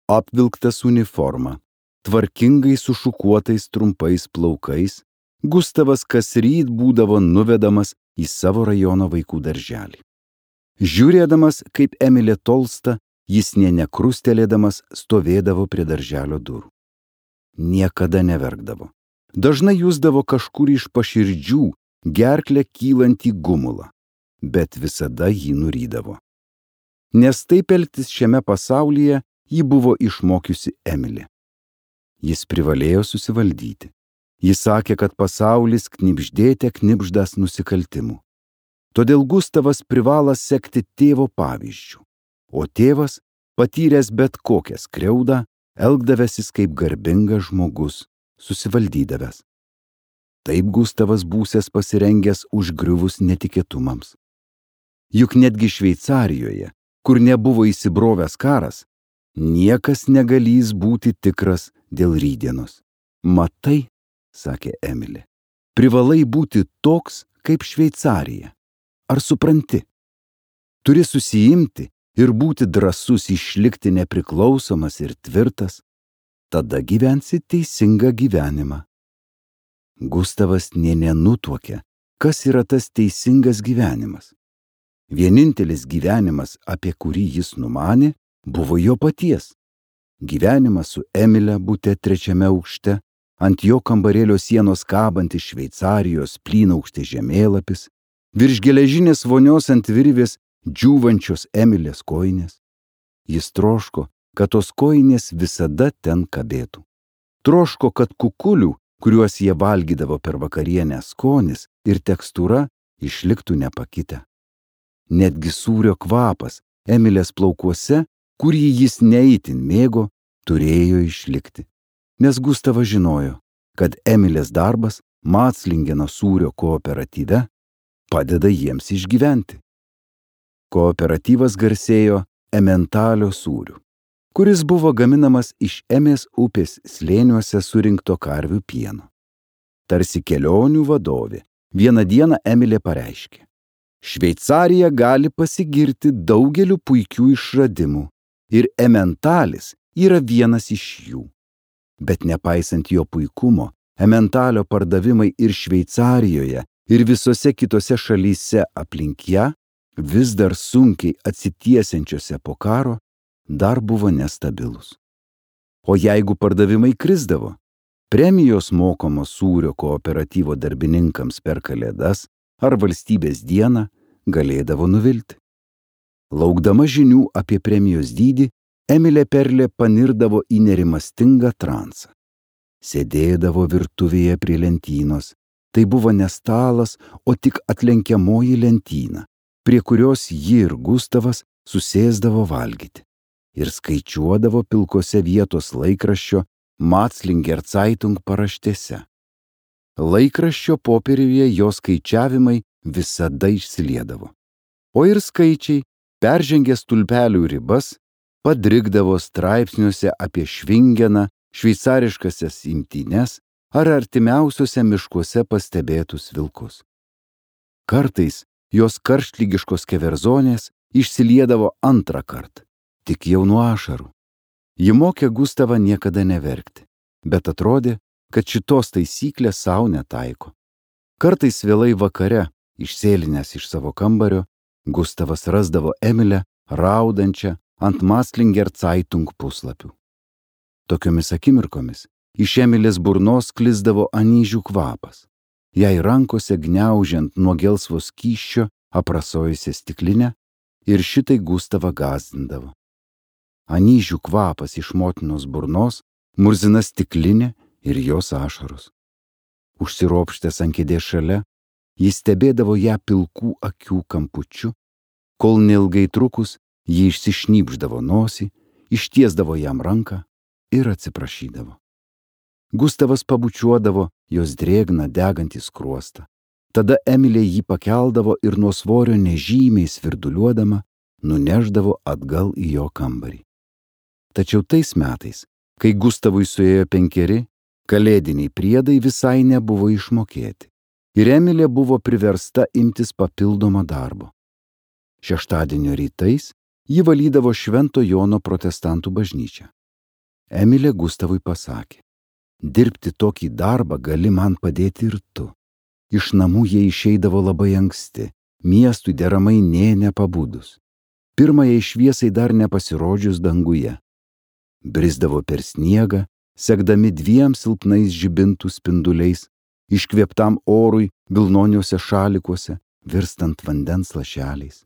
apvilktas uniforma, tvarkingai sušukuotais trumpais plaukais, Gustavas kasryt būdavo nuvedamas į savo rajono vaikų darželį. Žiūrėdamas, kaip Emilė tolsta, jis nė nekrustelėdamas stovėdavo prie darželio durų. Niekada neverkdavo. Dažnai jusdavo kažkur iš paširdžių gerklę kylantį gumulą, bet visada jį nurydavo. Nes taip elgtis šiame pasaulyje jį buvo išmokiusi Emilė. Jis privalėjo susivaldyti. Jis sakė, kad pasaulis knibždėte knibždas nusikaltimų. Todėl Gustavas privalo sekti tėvo pavyzdžių, o tėvas, patyręs bet kokią skriaudą, elgdavęsis kaip garbingas žmogus, susivaldydavęs. Taip Gustavas būsęs pasirengęs užgriuvus netikėtumams. Juk netgi Šveicarijoje, kur nebuvo įsibrovęs karas, niekas negalys būti tikras dėl rytdienos. Matai, sakė Emilė, privalai būti toks kaip Šveicarija. Ar supranti? Turi susiimti ir būti drąsus išlikti nepriklausomas ir tvirtas, tada gyvensi teisingą gyvenimą. Gustavas nė nenutuokė, kas yra tas teisingas gyvenimas. Vienintelis gyvenimas, apie kurį jis numanė, buvo jo paties. Gyvenimas su Emile bute 3. aukšte, ant jo kambarėlio sienos kabantis Šveicarijos plynaukštės žemėlapis, virš geležinės vonios ant virvės džiūvančios Emilės kojinės. Jis troško, kad tos kojinės visada ten kabėtų. Troško, kad kukulių, kuriuos jie valgydavo per vakarienę, skonis ir tekstūra išliktų nepakitę. Netgi sūrio kvapas Emilės plaukuose, kurį jis neįtin mėgo, turėjo išlikti. Nes Gustavas žinojo, kad Emilės darbas Maclingeno sūrio kooperatyve padeda jiems išgyventi. Kooperatyvas garsėjo Ementalio sūriu, kuris buvo gaminamas iš Emės upės slėniuose surinkto karvių pieno. Tarsi kelionių vadovė, vieną dieną Emilė pareiškė: Šveicarija gali pasigirti daugeliu puikių išradimų ir Ementalis yra vienas iš jų. Bet nepaisant jo puikumo, Ementalio pardavimai ir Šveicarijoje, ir visose kitose šalyse aplink ją, vis dar sunkiai atsitiesiančiose po karo, dar buvo nestabilus. O jeigu pardavimai krisdavo, premijos mokamos sūrio kooperatyvo darbininkams per Kalėdas ar valstybės dieną galėdavo nuvilti. Laukdama žinių apie premijos dydį, Emilė Perlė panirdavo į nerimastingą transą. Sėdėdavo virtuvėje prie lentynos. Tai buvo ne stalas, o tik atlenkiamoji lentyna, prie kurios ji ir Gustavas susėsdavo valgyti. Ir skaičiuodavo pilkose vietos laikraščio Maclinger Zeitung paraštėse. Laikraščio popieriuje jo skaičiavimai visada išsiliedavo. O ir skaičiai, peržengę stulpelių ribas, padrigdavo straipsniuose apie Švingeną, šveicariškasias imtynes ar artimiausiuose miškuose pastebėtus vilkus. Kartais jos karštlygiškos keverzonės išsiliedavo antrą kartą, tik jau nuo ašarų. Ji mokė Gustavą niekada neverkti, bet atrodė, kad šitos taisyklės sau netaiko. Kartais vėlai vakare, išsėlinęs iš savo kambario, Gustavas rasdavo Emilę raudančią ant Maclinger Zeitung puslapių. Tokiomis akimirkomis iš Emilės burnos sklisdavo anyžių kvapas. Jai rankose gniaužiant nuo gelsvo skysčio aprasojusią stiklinę ir šitai Gustavą gąsdindavo. Anyžių kvapas iš motinos burnos murzina stiklinę ir jos ašaros. Užsiropštęs ant kėdės šalia, jis stebėdavo ją pilkų akių kampučiu, kol neilgai trukus ji išsišnybždavo nosį, ištiesdavo jam ranką ir atsiprašydavo. Gustavas pabučiuodavo jos drėgną degantį skruostą. Tada Emilė jį pakeldavo ir nuo svorio nežymiai svirduliuodama nuneždavo atgal į jo kambarį. Tačiau tais metais, kai Gustavui suėjo 5, kalėdiniai priedai visai nebuvo išmokėti ir Emilė buvo priversta imtis papildomo darbo. Šeštadienio rytais ji valydavo Švento Jono protestantų bažnyčią. Emilė Gustavui pasakė: dirbti tokį darbą gali man padėti ir tu. Iš namų jie išeidavo labai anksti, miestui deramai nė nepabudus. Pirmajai šviesai dar nepasirodžius danguje. Brisdavo per sniegą, sekdami 2 silpnais žibintų spinduliais, iškvėptam orui vilnoniuose šalikuose, virstant vandens lašeliais.